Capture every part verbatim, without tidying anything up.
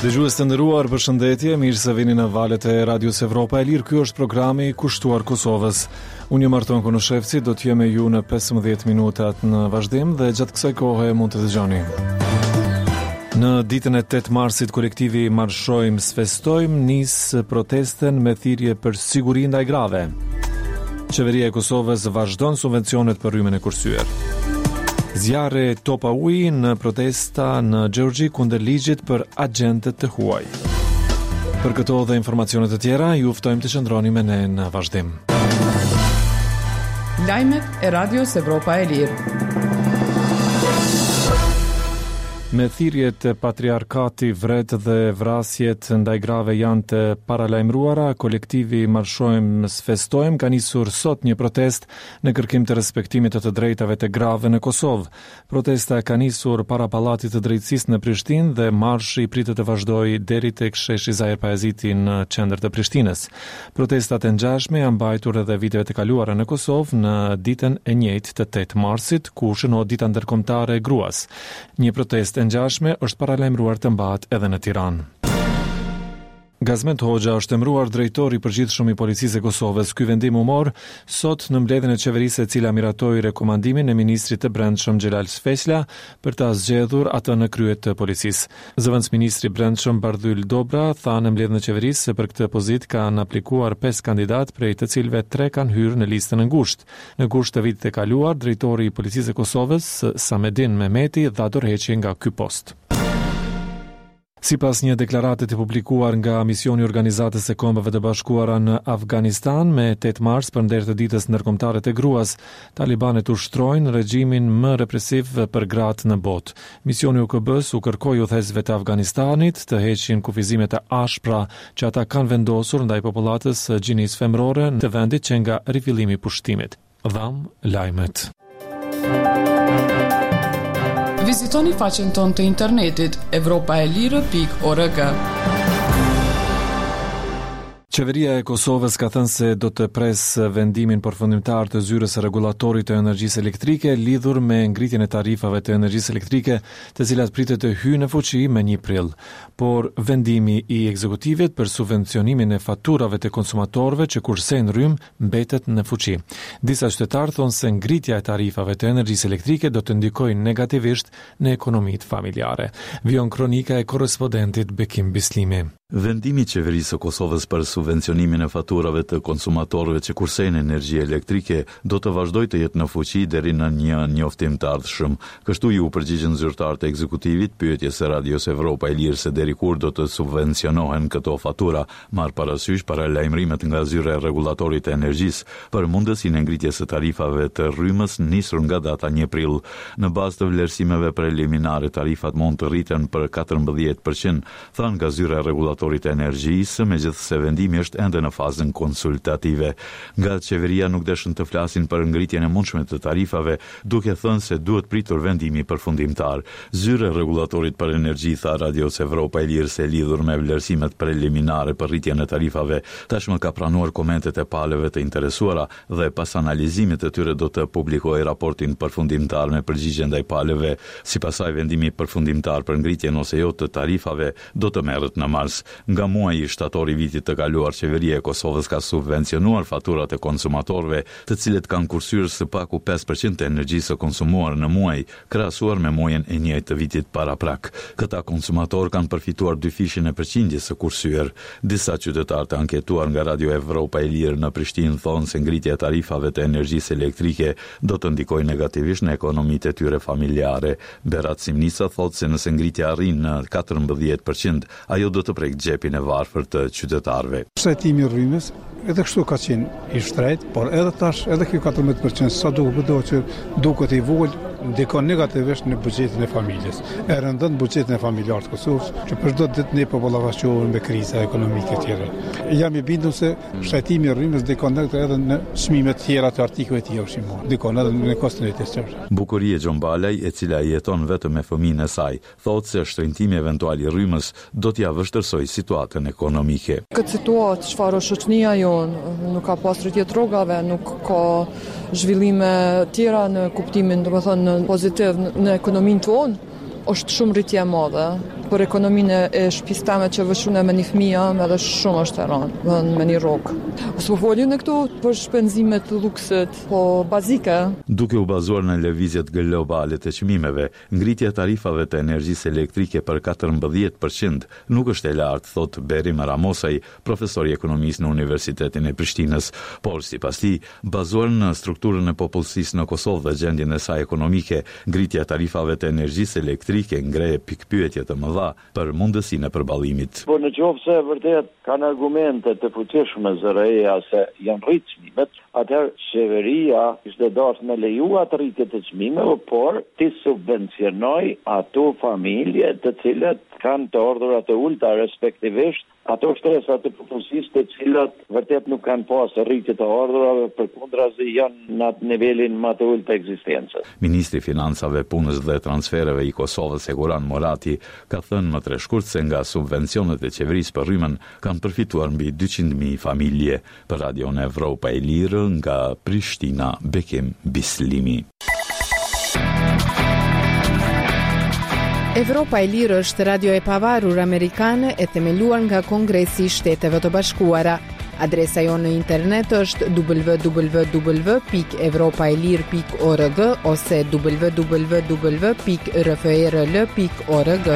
Dëgjues të nderuar, përshëndetje, mirë se vini në valët e Radios Evropa e Lirë. Ky është programi kushtuar Kosovës. Unë jam Arton Konushevci, do të jem me ju në pesëmbëdhjetë minutat në vazhdim dhe gjatë kësaj kohe mund të dëgjoni. Në ditën e tetë marsit, kolektivi Marshojmë S'festojmë nis protestën me thirrje për siguri ndaj grave. Qeveria e Kosovës vazhdon subvencionet për rrymën e kursyer. Zjarre topa uji në protesta në Gjeorgji kundër ligjit për agjentët të huaj. Për këto dhe informacione të tjera, ju ftojmë të qëndroni me ne në vazhdim. Lajmet e Radios Evropa e Lirë. Me thirrjet patriarkati vret dhe vrasjet ndaj grave janë të paralajmëruara, kolektivi Marshojmë S'festojmë ka nisur sot një protest në kërkim të respektimit të të drejtave të grave në Kosovë. Protesta ka nisur para Pallatit të Drejtësisë në Prishtinë dhe marshi pritet të vazhdojë deri tek sheshi Zahir Pajaziti në qendër të Prishtinës. Protestat e ngjashme janë mbajtur edhe viteve të kaluara në Kosovë në ditën e njëjtë të tetë marsit, ku shënohet Dita Ndërkombëtare e Gruas. Një protestë e ngjashme është paralajmëruar të mbahet edhe në Tiranë. Gazment Hoxha është emëruar drejtor i përgjithshëm i Policisë së Kosovës. Ky vendim u mor sot në mbledhjen e qeverisë, e cila miratoi rekomandimin e ministrit të Brendshëm Xhelal Sveçla për ta zgjedhur atë në krye të policisë. Zëvendësministri i Brendshëm Bardhyl Dobra tha në mbledhjen e qeverisë se për këtë pozitë kanë aplikuar pesë kandidatë, prej të cilëve tre kanë hyrë në listën e ngushtë. Në gusht të vitit të kaluar, drejtori i Policisë së Kosovës, Samedin Mehmeti, dha dorëheqje nga ky post. Sipas një deklarate të publikuar nga misioni i Organizatës së Kombeve të Bashkuara në Afganistan me tetë mars për nder të ditës ndërkombëtare të gruas, talibanët ushtrojnë regjimin më represiv për gratë në botë. Misioni i U K B-s u kërkoi udhëheqësve të Afganistanit të heqin kufizimet e ashpra që ata kanë vendosur ndaj popullatës së gjinisë femërore të vendit që nga rifillimi i pushtimit. Dham lajmet. Vizitoni faqen tonë të internetit evropaelire pikë org. Qeveria e Kosovës ka thënë se do të presë vendimin përfundimtar të zyrës së rregullatorit të energjisë elektrike lidhur me ngritjen e tarifave të energjisë elektrike, të cilat pritet të hyjnë në fuqi më një prill. Por vendimi i ekzekutivit për subvencionimin e faturave të konsumatorëve që kursejnë rrymë mbetet në fuqi. Disa qytetarë thonë se ngritja e tarifave të energjisë elektrike do të ndikojë negativisht në ekonomitë familjare. Vijon kronika e korrespondentit Bekim Bislimi. Vendimi i qeverisë së Kosovës për subvencionimin e faturave të konsumatorëve që kursejnë energji elektrike do të vazhdojë të jetë në fuqi deri në një njoftim të ardhshëm. Kështu ju përgjigjën zyrtarët e ekzekutivit pyetjes së Radios Evropa e Lirë se deri kur do të subvencionohen këto fatura, marr parasysh paralajmërimet nga zyra e rregullatorit të energjisë për mundësinë e ngritjes së tarifave të rrymës nisur nga data një prill. Në bazë të vlerësimeve preliminare, tarifat mund të rriten për katërmbëdhjetë përqind, thanë nga zyra e rregullatorit të energjisë, megjithëse vendimi është ende në fazën konsultative. Nga qeveria nuk deshën të flasin për ngritjen e mundshme të tarifave, duke thënë se duhet pritur vendimi përfundimtar. Zyra e rregullatorit për energji tha Radios Evropa e Lirë se lidhur me vlerësimet preliminare për rritjen e tarifave, tashmë ka pranuar komentet e palëve të interesuara dhe pas analizimit të tyre do të publikojë raportin përfundimtar me përgjigje ndaj palëve. Sipas saj, vendimi përfundimtar për ngritjen ose jo të tarifave do të merret në mars. Nga muaji shtator i vitit të kaluar, qeveria e Kosovës ka subvencionuar faturat e konsumatorëve, të cilët kanë kursyer së paku pesë përqind të energjisë së konsumuar në muaj, krahasuar me muajin e njëjtë të vitit paraprak. Këta konsumatorë kanë përfituar dyfishin e përqindjes së kursyer. Disa qytetarë të anketuar nga Radio Evropa e Lirë në Prishtinë thonë se ngritja e tarifave të energjisë elektrike do të ndikojë negativisht në ekonomitë e tyre familjare. Berat Simnica thotë se nëse ngritja arrin në katërmbëdhjetë përqind, ajo do të prek xhepin e varfër të qytetarëve. Shtrenjtimi i rrymës edhe kështu ka qenë i shtrenjtë, por edhe tash, edhe kjo katërmbëdhjetë përqind, sa duket do që duket i vogël, ndikon negativisht në buxhetin e familjes. E rëndon buxhetin e familjarëve të Kosovës, që për çdo ditë ne po ballafaqohemi me kriza ekonomike të tjera. Jam i bindur se shtrenjtimi i rrymës ndikon edhe në çmimet tjera të artikujve të tjerë ushqimorë, ndikon edhe në koston e jetës. Bukurie Gjonbalaj, e cila jeton vetëm me fëmijën e saj, thotë se shtrenjtimi eventual i rrymës do t'ia vështirësojë situatën ekonomike. Këtë situatë çfarë është shoqëria jonë, nuk ka pas rritje të rrogave, nuk ka zhvillime tjera në kuptimin, domethënë, në pozitiv në, në ekonominë tonë, është shumë rritje e madhe. Për ekonominë e shtëpisë teme që veç une me një fëmijë jam edhe shumë është e rëndë, me një rrogë. S'po folim në këto për shpenzimet lukset, po bazike. Duke u bazuar në lëvizjet globale të çmimeve, ngritja e tarifave të energjisë elektrike për katërmbëdhjetë për qind nuk është e lartë, thotë Berim Ramosaj, profesor i ekonomisë në Universitetin e Prishtinës. Por, sipas tij, bazuar në strukturën e popullsisë në Kosovë dhe gjendjen e saj ekonomike, ngritja e tarifave të energjisë elektrike ngre pikëpyetje të mëdha për mundësinë e përballimit. Po në qoftë se vërtet kanë argumente të fuqishme Z R E-ja se janë rritë çmimet, atëherë qeveria ishte dashur me leju atë rritje të çmimeve, por ti subvencionoj ato familje të cilët kanë të ardhura të ulta, respektivisht ato shtresa të popullsisë të cilat vërtet nuk kanë pasur rritje të ardhurave, përkundrazi janë në atë nivelin më të ulët të ekzistencës. Ministri i Financave, Punës dhe Transfereve i Kosovës, Hekuran Murati, ka thënë më tre shkurt se nga subvencionet e qeverisë për rrymën kanë përfituar mbi dyqind mijë familje. Për Radion Evropa e Lirë nga Prishtina, Bekim Bislimi. Evropa e Lirë është radio e pavarur amerikane e themeluar nga Kongresi i Shteteve të Bashkuara. Adresa jonë në internet është w w w pikë evropa e lirë pikë org ose w w w pikë r f r l pikë org.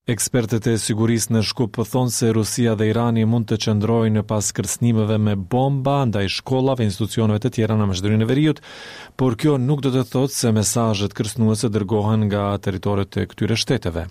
Ekspertët e sigurisë në Shkup thonë se Rusia dhe Irani mund të qëndrojnë pas kërcënimeve me bomba ndaj shkollave e institucioneve të tjera në Maqedoninë e Veriut, por kjo nuk do të thotë se mesazhet kërcënuese dërgohen nga territoret e këtyre shteteve.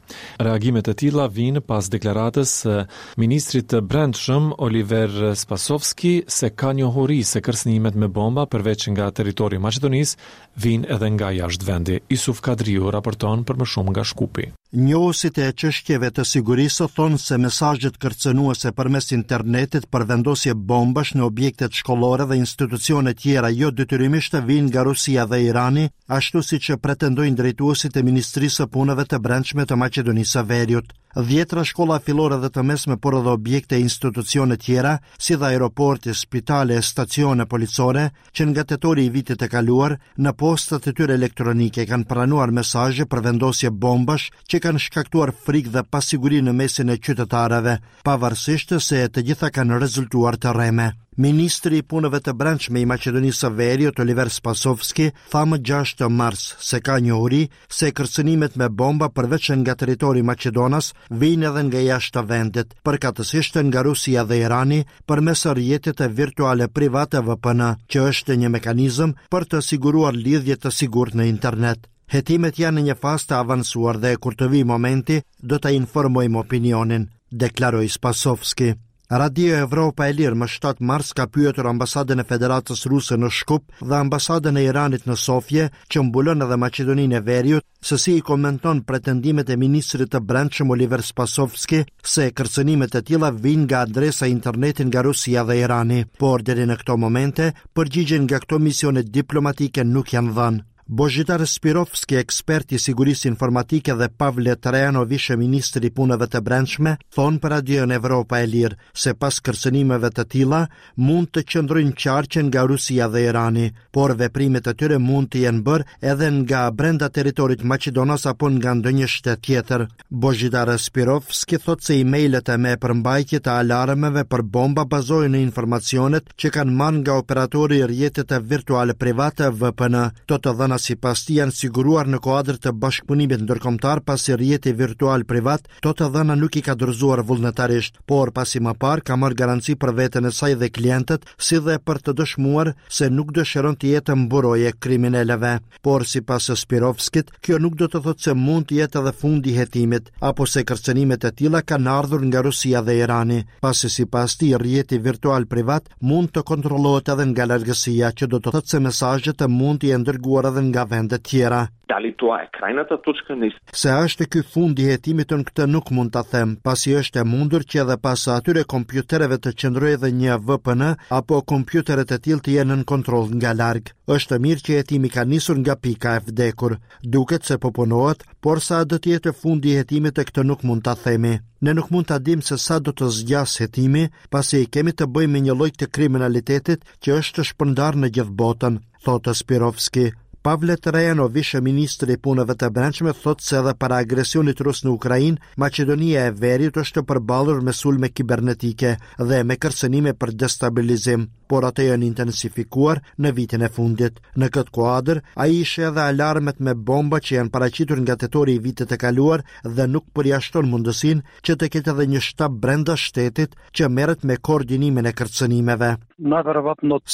Reagimet e tilla vijnë pas deklaratës së ministrit të Brendshëm Oliver Spasovski se ka njohuri se kërcënimet me bomba përveç nga territori i Maqedonisë vijnë edhe nga jashtë vendi. Isuf Kadriu raporton për më shumë nga Shkupi. Njohësit e çështjeve të sigurisë thonë se mesazhet kërcënuese përmes internetit për vendosje bombash në objektet shkollore dhe institucione tjera jo detyrimisht vijnë nga Rusia dhe Irani, ashtu siç pretendojnë drejtuesit e Ministrisë së Punëve të Brendshme të Maqedonisë së Veriut. Dhjetra shkolla fillore dhe të mesme, por edhe objekte e institucione tjera, si dhe aeroporte, spitale e stacione policore, që nga tetori i vitit të kaluar, në postat e tyre elektronike kanë pranuar mesazhe për vendosje bombash që kanë shkaktuar frikë dhe pasiguri në mesin e qytetarëve, pavarësisht se të gjitha kanë rezultuar të rreme. Ministri i Punëve të Brendshme i Maqedonisë së Veriut, Oliver Spasovski, tha më gjashtë mars se ka njohuri se kërcënimet me bomba përveç nga territori maqedonas vijnë edhe nga jashtë vendit, përkatësisht nga Rusia dhe Irani përmes rrjetit virtuale private V P N, që është një mekanizëm për të siguruar lidhje të sigurt në internet. Hetimet janë në një fazë të avancuar dhe kur të vijë momenti do ta informojmë opinionin, deklaroi Spasovski. Radio Evropa e Lirë më shtatë mars ka pyetur ambasadën e Federatës Ruse në Shkup dhe ambasadën e Iranit në Sofje, që mbulon edhe Maqedoninë e Veriut, se si i komenton pretendimet e ministrit të Brendshëm Oliver Spasovski se kërcënimet e tilla vijnë nga adresa internetit nga Rusia dhe Irani, por deri në këto momente përgjigje nga këto misione diplomatike nuk janë dhënë. Bozhidar Spirovski, ekspert i sigurisë informatike dhe Pavle Trajanovish, ministri i Punëve të Brendshme, thonë për Radion Evropa e Lirë se pas kërcënimeve të tilla mund të qëndrojnë qarqe nga Rusia dhe Irani, por veprimet e tyre mund të jenë bërë edhe nga brenda territorit maqedonas apo nga ndonjë shtet tjetër. Bozhidar Spirovski thotë se e-mailet e me përmbajtje të alarmeve për bomba bazohen në informacionet që kanë marrë nga operatori i rrjetit virtuale private V P N. Këto të dhëna sipas tij janë siguruar në kuadër të bashkëpunimit ndërkombëtar, pasi rrjeti virtual privat këto të dhëna nuk i ka dorëzuar vullnetarisht, por pasi më parë ka marrë garanci për veten e saj dhe klientët, si dhe për të dëshmuar se nuk dëshiron të jetë mburoje kriminalëve. Por sipas Spirovskit, kjo nuk do të thotë se mund të jetë edhe fundi i hetimit, apo se kërcënimet e tilla kanë ardhur nga Rusia dhe Irani, pasi sipas tij rrjeti virtual privat mund të kontrollohet edhe nga largësia, që do të thotë se mesazhet mund të jenë dërguar edhe nga vendet tjera. Dali тоа е крајната точка на Se është ky fundi i hetimit, unë këtë nuk mund ta them, pasi është e mundur që edhe pas atyre kompjutereve të qëndrojë edhe një V P N apo kompjuterët e tillë të jenë nën kontroll nga larg. Është mirë që hetimi ka nisur nga pika e vdekur. Duket se po punohet, por sa do të jetë fundi i hetimit e këtë nuk mund ta themi. Ne nuk mund ta dimë se sa do të zgjasë hetimi, pasi kemi të bëjmë me një lloj të kriminalitetit që është shpërndarë në gjithë botën, thotë Spirovski. Pavle Trajanov, ish ministri i Punëve të Brendshme, thotë se edhe para agresionit rus në Ukrainë, Maqedonia e Veriut është përballur me sulme kibernetike dhe me kërcënime për destabilizim, por ato janë intensifikuar në vitin e fundit. Në këtë kuadër, ai ishte edhe alarmet me bomba që janë paraqitur nga tetori i vitit të kaluar dhe nuk përjashton mundësinë që të ketë edhe një shtab brenda shtetit që merret me koordinimin e kërcënimeve.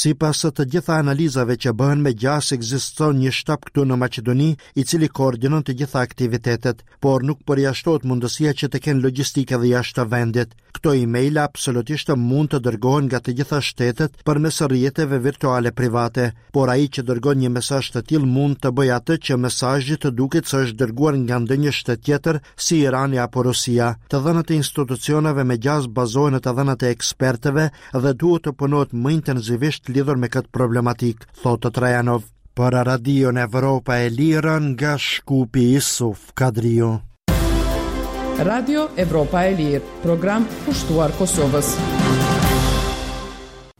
Sipas të gjitha analizave që bëhen, me gjasë ekziston një shtab këtu në Maqedoni, i cili koordinon të gjitha aktivitetet, por nuk përjashtohet mundësia që të kenë logjistikë edhe jashtë vendit. Këto email absolutisht mund të dërgohen nga të gjitha shtetet përmes rrjeteve virtuale private, por ai që dërgon një mesazh të tillë mund të bëjë atë që mesazhi të duket se është dërguar nga ndonjë shtet tjetër, si Irani apo Rusia. Të dhënat e institucioneve me gjasë bazohen në të dhënat e ekspertëve dhe duhet të punohet më intensivisht lidhur me këtë problematik, thotë Trajanov. Për Radion Evropa e Lirë nga Shkupi, Isuf Kadriu. Radio Evropa e Lirë, program kushtuar Kosovës.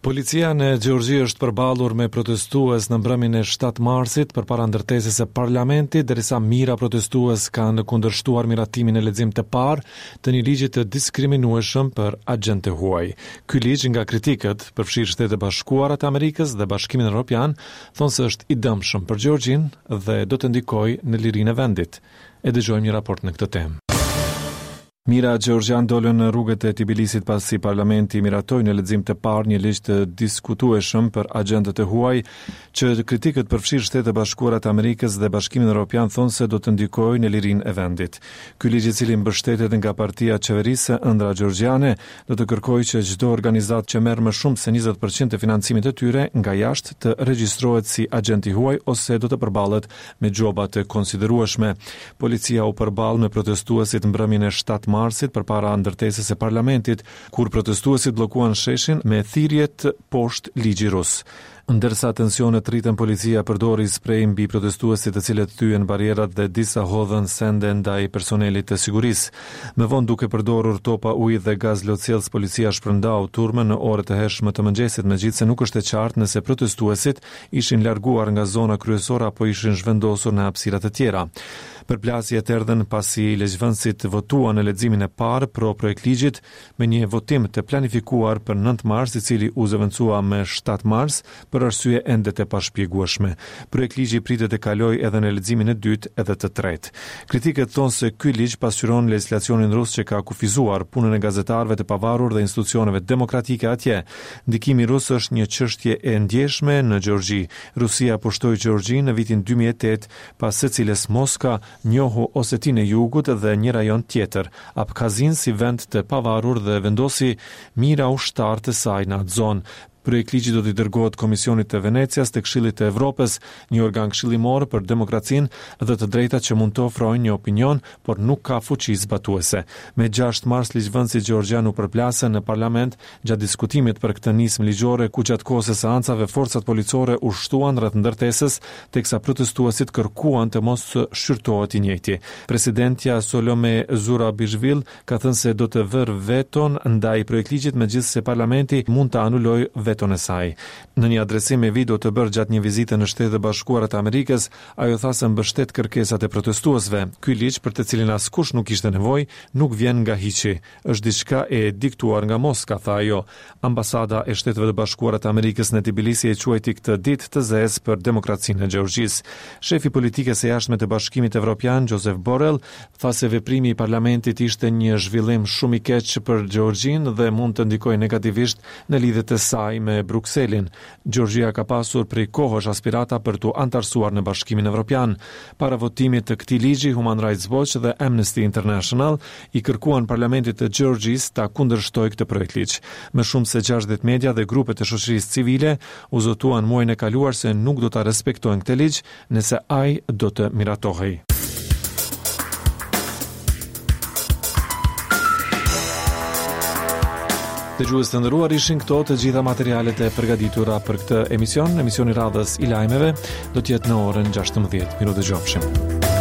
Policia në Gjeorgji është përballur me protestues në mbrëmjen e shtatë marsit përpara ndërtesës së parlamentit, derisa mijëra protestues kanë kundërshtuar miratimin e lexim të parë të një ligji të diskriminueshëm për agjentë të huaj. Ky ligj nga kritikët, përfshirë Shtetet e Bashkuara të Amerikës dhe Bashkimin Evropian, thonë se është i dëmshëm për Gjeorgjinë dhe do të ndikojë në lirinë e vendit. E dëgjojmë një raport në këtë temë. Mijëra gjeorgjian dolën në rrugët e Tbilisit pasi parlamenti miratoi në lexim të parë një ligj të diskutueshëm për agjentët e huaj, që kritikët përfshirë Shtetet e Bashkuara të Amerikës dhe Bashkimin Evropian thonë se do të ndikojë në lirinë e vendit. Ky ligj, i cili mbështetet nga partia qeverisë Ëndra Gjeorgjiane, do të kërkojë që çdo organizatë që merr më shumë se njëzet për qind të financimit të tyre nga jashtë të regjistrohet si agjent i huaj ose do të përballet me gjoba të konsiderueshme. Policia u përball me protestuesit mbrëmjen e shtatë marsit përpara ndërtesës së parlamentit, kur protestuesit bllokuan sheshin me thirrjet "Poshtë ligji rus". Ndërsa tensionet rritën, policia përdori sprej mbi protestuesit, të cilët thyen barrierat dhe disa hodhën sende ndaj personelit të sigurisë. Më vonë, duke përdorur topa uji dhe gaz lotsjellës, policia shpërndau turmën në orët e hershme të mëngjesit, megjithëse nuk është e qartë nëse protestuesit ishin larguar nga zona kryesore apo ishin zhvendosur në hapësira të tjera. Përplasjet erdhën pasi ligjvënësit votuan në leximin e parë pro projektligjit me një votim të planifikuar për nëntë mars, i cili u zëvendësua me shtatë mars për arsye ende të pashpjegueshme. Projektligji pritet të kalojë edhe në leximin e dytë edhe të tretë. Kritikët thonë se ky ligj pasqyron legjislacionin rus që ka kufizuar punën e gazetarëve të pavarur dhe institucioneve demokratike atje. Ndikimi rus është një çështje e ndjeshme në Gjeorgji. Rusia pushtoi Gjeorgjinë në vitin dy mijë e tetë, pas së cilës Moska njohu Osetinë e Jugut dhe një rajon tjetër, Abkhazin, si vend të pavarur dhe vendosi mijëra ushtarë të saj në atë zonë. Projektligji do t'i dërgohet Komisionit të Venecias të Këshillit të Evropës, një organ këshillimor për demokracinë dhe të drejtat që mund të ofrojnë një opinion, por nuk ka fuqi zbatuese. Me gjashtë mars ligjvënësit gjeorgjian u përplasën në parlament gjatë diskutimit për këtë nismë ligjore, ku gjatë kohës së seancave forcat policore u shtuan rreth ndërtesës, teksa protestuesit kërkuan të mos shqyrtohet i njëjti. Presidentja Solome Zurabishvili ka thënë se do të vërë veton ndaj projektligjit, megjithëse parlamenti mund të anulojë veton e saj. Në një adresim me video të bërë gjatë një vizite në Shtetet e Bashkuara të Amerikës, ajo tha se mbështet kërkesat e protestuesve. "Ky ligj, për të cilin askush nuk kishte nevojë, nuk vjen nga hiçi. Është diçka e diktuar nga Moska", tha ajo. Ambasada e Shteteve të Bashkuara të Amerikës në Tbilisi e quajti këtë ditë të zezë për demokracinë e Gjeorgjisë. Shefi i politikës së jashtme të Bashkimit Evropian, Josep Borrell, tha se veprimi i parlamentit ishte një zhvillim shumë i keq për Gjeorgjinë dhe mund të ndikojë negativisht në lidhjet e saj me Brukselin. Gjeorgjia ka pasur prej kohësh aspirata për t'u antarësuar në Bashkimin Evropian. Para votimit të këtij ligji, Human Rights Watch dhe Amnesty International i kërkuan parlamentit të Gjeorgjisë ta kundërshtojë këtë projektligj. Më shumë se gjashtëdhjetë media dhe grupe të shoqërisë civile u zotuan muajin e kaluar se nuk do ta respektojnë këtë ligj nëse ai do të miratohej. Dëgjues të nderuar, ishin këto të gjitha materialet e përgatitura për këtë emision. Emisioni radhës i lajmeve do të jetë në orën gjashtëmbëdhjetë. Mirudëgjofshim.